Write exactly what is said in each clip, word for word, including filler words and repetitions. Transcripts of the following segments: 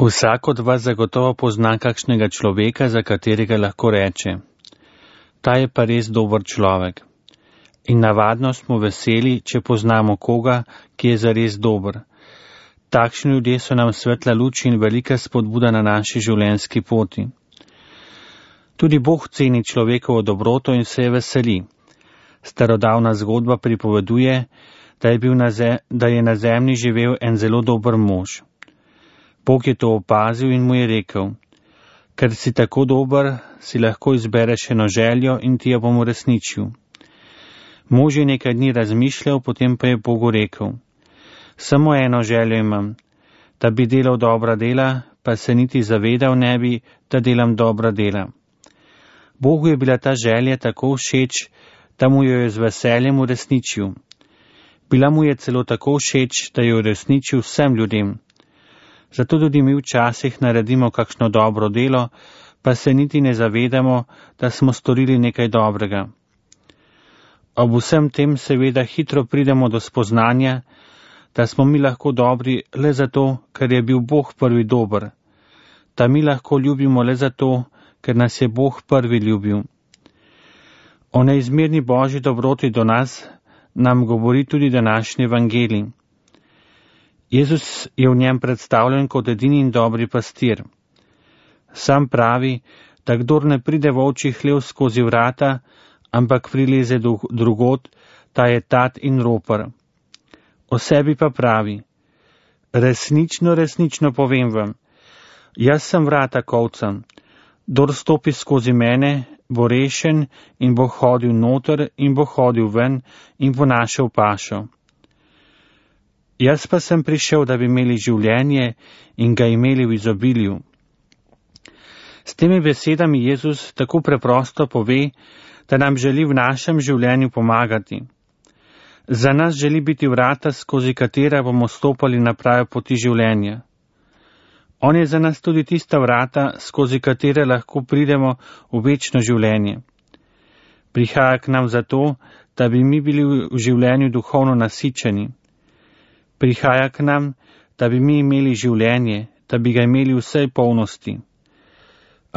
Vsak od vas zagotovo pozna kakšnega človeka, za katerega lahko reče: ta je pa res dober človek. In navadno smo veseli, če poznamo koga, ki je zares dober. Takšni ljudje so nam svetla luč in velika spodbuda na naši življenjski poti. Tudi Bog ceni človekovo dobroto in se je veseli. Starodavna zgodba pripoveduje, da je, bil na zem, da je na zemlji živel en zelo dober mož. Bog je to opazil in mu je rekel: ker si tako dober, si lahko izbereš eno željo in ti jo bom uresničil. Mož je nekaj dni razmišljal, potem pa je Bogu rekel: samo eno željo imam, da bi delal dobra dela, pa se niti zavedal ne bi, da delam dobra dela. Bogu je bila ta želja tako všeč, da mu jo je z veseljem uresničil. Bila mu je celo tako všeč, da jo je uresničil vsem ljudem. Zato tudi mi včasih naredimo kakšno dobro delo, pa se niti ne zavedamo, da smo storili nekaj dobrega. Ob vsem tem seveda hitro pridemo do spoznanja, da smo mi lahko dobri le zato, ker je bil Bog prvi dober, da mi lahko ljubimo le zato, ker nas je Bog prvi ljubil. O neizmerni Božji dobroti do nas nam govori tudi današnji evangelij. Jezus je v njem predstavljen kot edini in dobri pastir. Sam pravi, da kdor ne pride v ovčji hlev skozi vrata, ampak prileze drugod, ta je tat in ropar. O sebi pa pravi: resnično, resnično povem vam, jaz sem vrata kovcem, kdor stopi skozi mene, bo rešen in bo hodil noter in bo hodil ven in bo našel pašo. Jaz pa sem prišel, da bi imeli življenje in ga imeli v izobilju. S temi besedami Jezus tako preprosto pove, da nam želi v našem življenju pomagati. Za nas želi biti vrata, skozi katera bomo stopali na prave poti življenja. On je za nas tudi tista vrata, skozi katere lahko pridemo v večno življenje. Prihaja k nam zato, da bi mi bili v življenju duhovno nasičeni. Prihaja k nam, da bi mi imeli življenje, da bi ga imeli v vsej polnosti.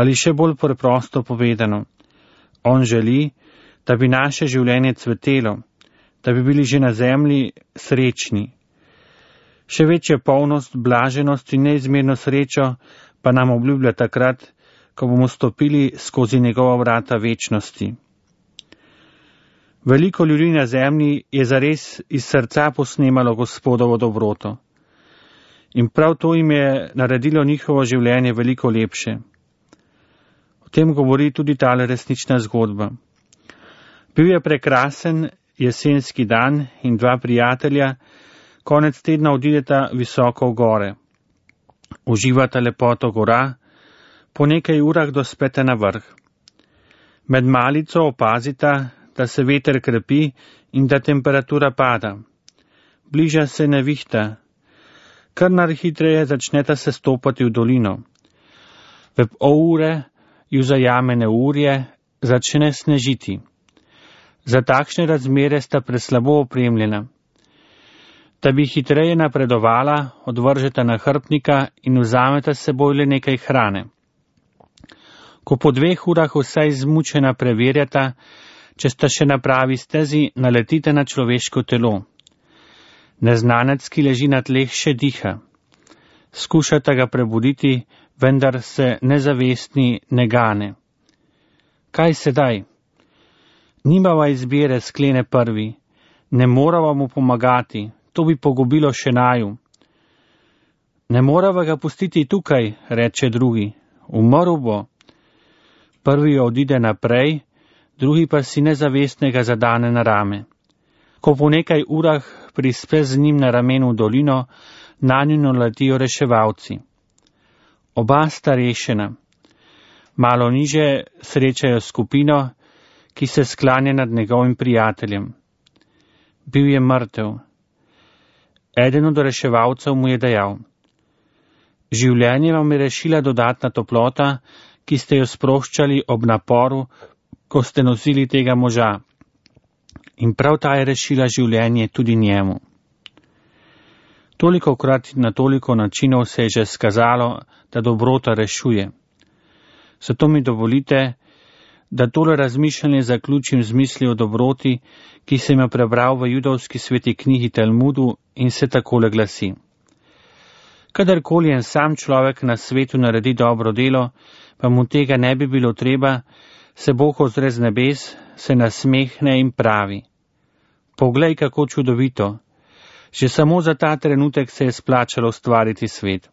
Ali še bolj preprosto povedano, on želi, da bi naše življenje cvetelo, da bi bili že na zemlji srečni. Še večja polnost, blaženost in neizmerno srečo pa nam obljublja takrat, ko bomo stopili skozi njegova vrata večnosti. Veliko ljudi na zemlji je zares iz srca posnemalo Gospodovo dobroto. In prav to jim je naredilo njihovo življenje veliko lepše. O tem govori tudi tale resnična zgodba. Bil je prekrasen jesenski dan in dva prijatelja konec tedna odideta visoko v gore. Uživata lepoto gora, po nekaj urah dospete na vrh. Med malico opazita, da se veter krepi in da temperatura pada. Bliža se nevihta. Kar najhitreje začneta se stopati v dolino. V pol ure ju zajame neurje, začne snežiti. Za takšne razmere sta preslabo opremljena. Da bi hitreje napredovala, odvržeta nahrbtnika in vzameta s seboj le nekaj hrane. Ko po dveh urah vsa izmučena preverjata, če sta še na pravi stezi, naletite na človeško telo. Neznanec, ki leži na tleh, še diha. Skušata ga prebuditi, vendar se nezavestni ne gane. Kaj sedaj? Nimava izbire, sklene prvi. Ne morava mu pomagati, to bi pogubilo še naju. Ne morava ga pustiti tukaj, reče drugi. Umrl bo. Prvi odide naprej, drugi pa si nezavestnega zadane na rame. Ko po nekaj urah prispe z njim na ramenu v dolino, nanju naletijo reševalci. Oba sta rešena. Malo niže srečajo skupino, ki se sklanja nad njegovim prijateljem. Bil je mrtev. Eden od reševalcev mu je dejal: življenje vam je rešila dodatna toplota, ki ste jo sproščali ob naporu, ko ste nosili tega moža. In prav ta je rešila življenje tudi njemu. Toliko krat in na toliko načinov se je že skazalo, da dobrota rešuje. Zato mi dovolite, da tole razmišljanje zaključim z mislijo o dobroti, ki sem jo prebral v judovski sveti knjigi Talmudu in se takole glasi. Kadarkoli en sam človek na svetu naredi dobro delo, pa mu tega ne bi bilo treba, se Bog ozre z nebes, se nasmehne in pravi: Poglej, kako čudovito! Že samo za ta trenutek se je splačalo ustvariti svet.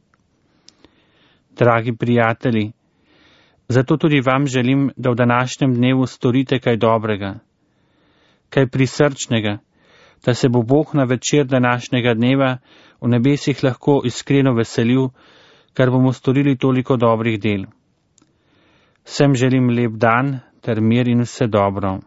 Dragi prijatelji, zato tudi vam želim, da v današnjem dnevu storite kaj dobrega, kaj prisrčnega, da se bo Bog na večer današnjega dneva v nebesih lahko iskreno veselil, ker bomo storili toliko dobrih del. Vsem želim lep dan ter mir in vse dobro.